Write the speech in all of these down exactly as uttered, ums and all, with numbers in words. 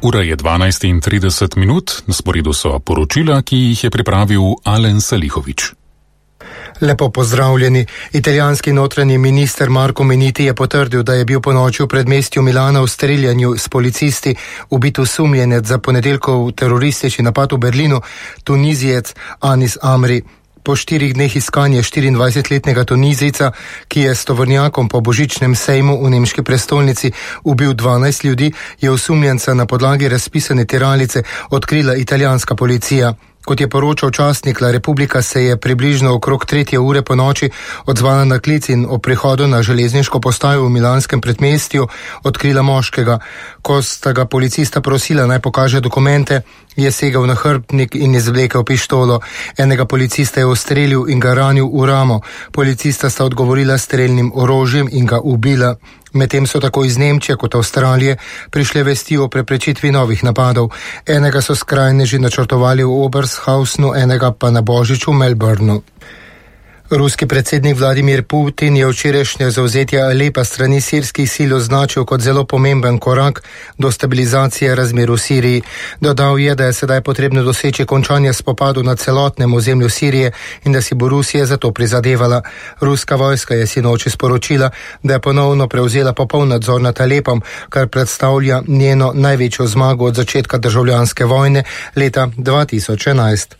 Ura je dvanajst in trideset minut, na sporedu so poročila, ki jih je pripravil Alen Salihović. Lepo pozdravljeni. Italijanski notranji minister Marco Minniti je potrdil, da je bil ponoči v predmestju Milana v streljanju s policisti ubit osumljenec za ponedeljkov teroristični napad v Berlinu, Tunizijec Anis Amri. Po štirih dneh iskanja štiriindvajsetletnega Tunizijca, ki je s tovornjakom po božičnem sejmu v nemški prestolnici ubil dvanajst ljudi, je osumljenca na podlagi razpisane tiralice odkrila italijanska policija. Kot je poročal časnik La Repubblica, se je približno okrog tretje ure po noči odzvala na klic in ob prihodu na železniško postajo v milanskem predmestju odkrila moškega. Ko sta ga policista prosila, naj pokaže dokumente, je segel na hrbtnik in izvlekel pištolo. Enega policista je ustrelil in ga ranil v ramo. Policista sta odgovorila strelnim orožjem in ga ubila. Medtem so tako iz Nemčije kot Avstralije prišle vesti o preprečitvi novih napadov. Enega so skrajneži načrtovali v Oberhausnu, enega pa na Božič v Melbourneu. Ruski predsednik Vladimir Putin je včerajšnje zavzetje Alepa strani sirskih sil označil kot zelo pomemben korak do stabilizacije razmer v Siriji. Dodal je, da je sedaj potrebno doseči končanje spopadov na celotnem ozemlju Sirije in da si bo Rusija za to prizadevala. Ruska vojska je sinoči sporočila, da je ponovno prevzela popoln nadzor nad Alepom, kar predstavlja njeno največjo zmago od začetka državljanske vojne leta dva tisoč enajst.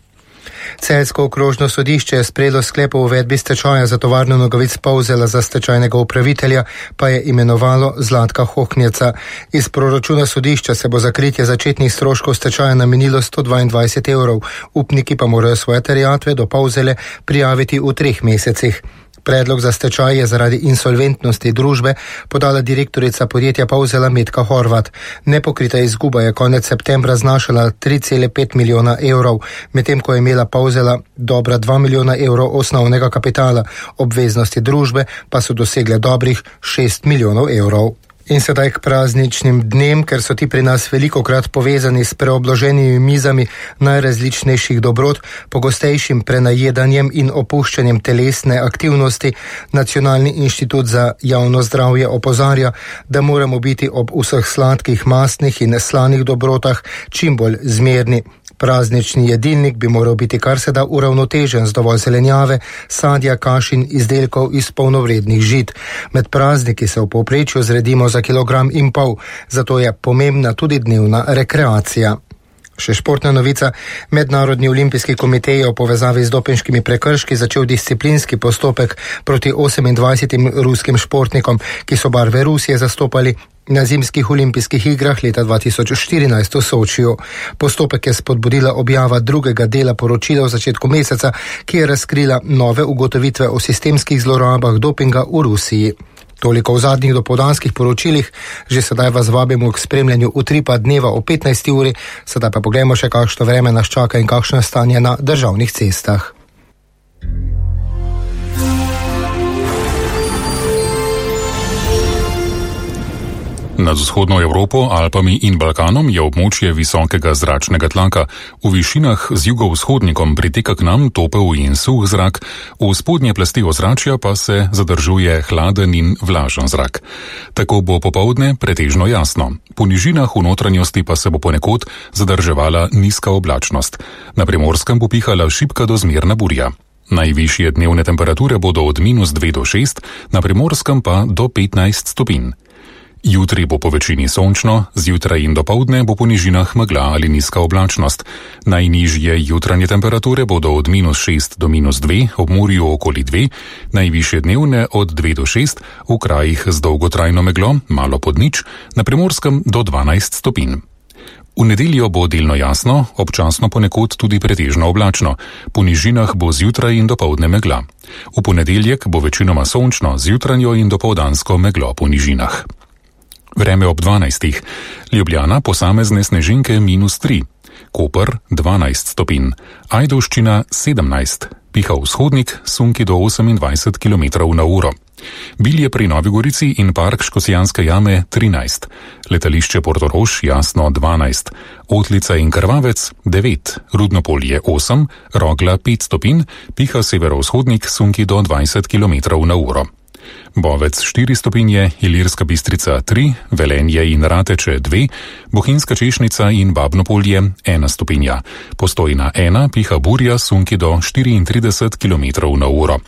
Celjsko okrožno sodišče je sprejelo sklep o uvedbi stečaja za tovarno nogavic Polzela, za stečajnega upravitelja pa je imenovalo Zlatka Hohnjeca. Iz proračuna sodišča se bo za kritje začetnih stroškov stečaja namenilo sto dvaindvajset evrov. Upniki pa morajo svoje terjatve do Polzele prijaviti v treh mesecih. Predlog za stečaj je zaradi insolventnosti družbe podala direktorica podjetja Polzela Metka Horvat. Nepokrita izguba je konec septembra znašala tri cele pet milijona evrov, medtem ko je imela Polzela dobra dva milijona evrov osnovnega kapitala, obveznosti družbe pa so dosegle dobrih šest milijonov evrov. In sedaj k prazničnim dnem, ker so ti pri nas velikokrat povezani s preobloženimi mizami najrazličnejših dobrot, pogostejšim prenajedanjem in opuščanjem telesne aktivnosti, Nacionalni inštitut za javno zdravje opozarja, da moramo biti ob vseh sladkih, mastnih in slanih dobrotah čim bolj zmerni. Praznični jedilnik bi moral biti kar se da uravnotežen z dovolj zelenjave, sadja, kaš in izdelkov iz polnovrednih žit. Med prazniki se v povprečju zredimo za kilogram in pol, zato je pomembna tudi dnevna rekreacija. Še športna novica. Mednarodni olimpijski komitej je v povezavi z dopinškimi prekrški začel disciplinski postopek proti osemindvajsetim ruskim športnikom, ki so barve Rusije zastopali na zimskih olimpijskih igrah leta dva tisoč štirinajst v Sočiju. Postopek je spodbudila objava drugega dela poročila v začetku meseca, ki je razkrila nove ugotovitve o sistemskih zlorabah dopinga v Rusiji. Toliko v zadnjih dopoldanskih poročilih, že sedaj vas vabimo k spremljanju utripa dneva o petnajsti uri, sedaj pa poglejmo še, kakšno vreme nas čaka in kakšno je stanje na državnih cestah. Nad vzhodno Evropo, Alpami in Balkanom je območje visokega zračnega tlaka. V višinah z jugovzhodnikom priteka k nam topel in suh zrak, v spodnje plasti ozračja pa se zadržuje hladen in vlažen zrak. Tako bo popoldne pretežno jasno. Po nižinah v notranjosti pa se bo ponekod zadrževala nizka oblačnost. Na Primorskem bo pihala šibka do zmerna burja. Najvišje dnevne temperature bodo od minus dve do šest, na Primorskem pa do petnajst stopinj. Jutri bo po večini sončno, zjutraj in dopoldne bo po nižinah megla ali nizka oblačnost. Najnižje jutranje temperature bodo od minus šest do minus dve, ob morju okoli dve, najvišje dnevne od dve do šest, v krajih z dolgotrajno meglo, malo pod nič, na Primorskem do dvanajst stopinj. V nedeljo bo delno jasno, občasno ponekod tudi pretežno oblačno. Po nižinah bo zjutraj in dopoldne megla. V ponedeljek bo večinoma sončno, zjutranjo in dopoldansko meglo po nižinah. Vreme ob dvanajstih. Ljubljana posamezne snežinke minus tri. Koper dvanajst stopinj. Ajdovščina sedemnajst. Piha vzhodnik, sunki do osemindvajset kilometrov na uro. Bilje pri Novi Gorici in park Škocjanske jame trinajst. Letališče Portorož jasno dvanajst. Otlica in Krvavec devet. Rudnopolje osem. Rogla pet stopinj. Piha severovzhodnik, sunki do dvajset kilometrov na uro. Bovec štiri stopinje, Ilirska Bistrica tri, Velenje in Rateče dve, Bohinjska Češnica in Babnopolje ena stopinja. Postojna ena, piha burja, sunki do štiriintrideset kilometrov na uro.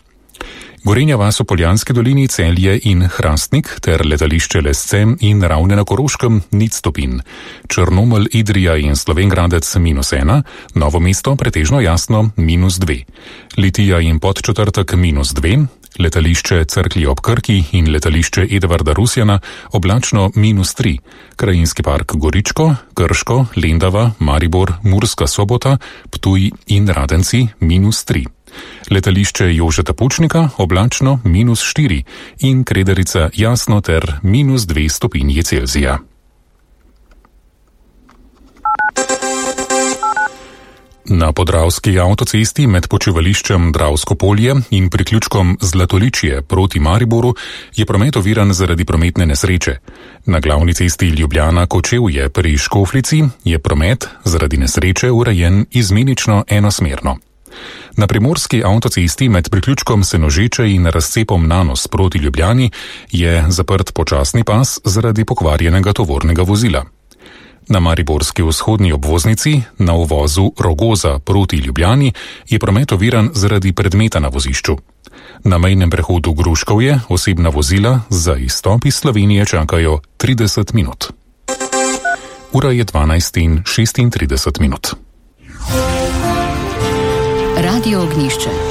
Gorenja vas v Poljanski dolini, Celje in Hrastnik ter letališče Lesce in Ravne na Koroškem nič stopinj. Črnomelj, Idrija in Slovenj Gradec minus ena, Novo mesto pretežno jasno minus dve. Litija in Podčetrtek minus dve, letališče Cerklje ob Krki in letališče Edvarda Rusjana oblačno minus tri. Krajinski park Goričko, Krško, Lendava, Maribor, Murska Sobota, Ptuj in Radenci minus tri. Letališče Jožeta Pučnika oblačno minus štiri in Kredarica jasno ter minus dve stopinji Celzija. Na podravski avtocesti med počivališčem Dravsko polje in priključkom Zlatoličje proti Mariboru je promet oviran zaradi prometne nesreče. Na glavni cesti Ljubljana-Kočevje pri Škofljici je promet zaradi nesreče urejen izmenično enosmerno. Na primorski avtocesti med priključkom Senožeče in razcepom Nanos proti Ljubljani je zaprt počasni pas zaradi pokvarjenega tovornega vozila. Na mariborski vzhodni obvoznici na uvozu Rogoza proti Ljubljani je promet oviran zaradi predmeta na vozišču. Na mejnem prehodu Gruškovje osebna vozila za izstop iz Slovenije čakajo trideset minut. Ura je dvanajst in šestintrideset minut. Radio Ognjišče.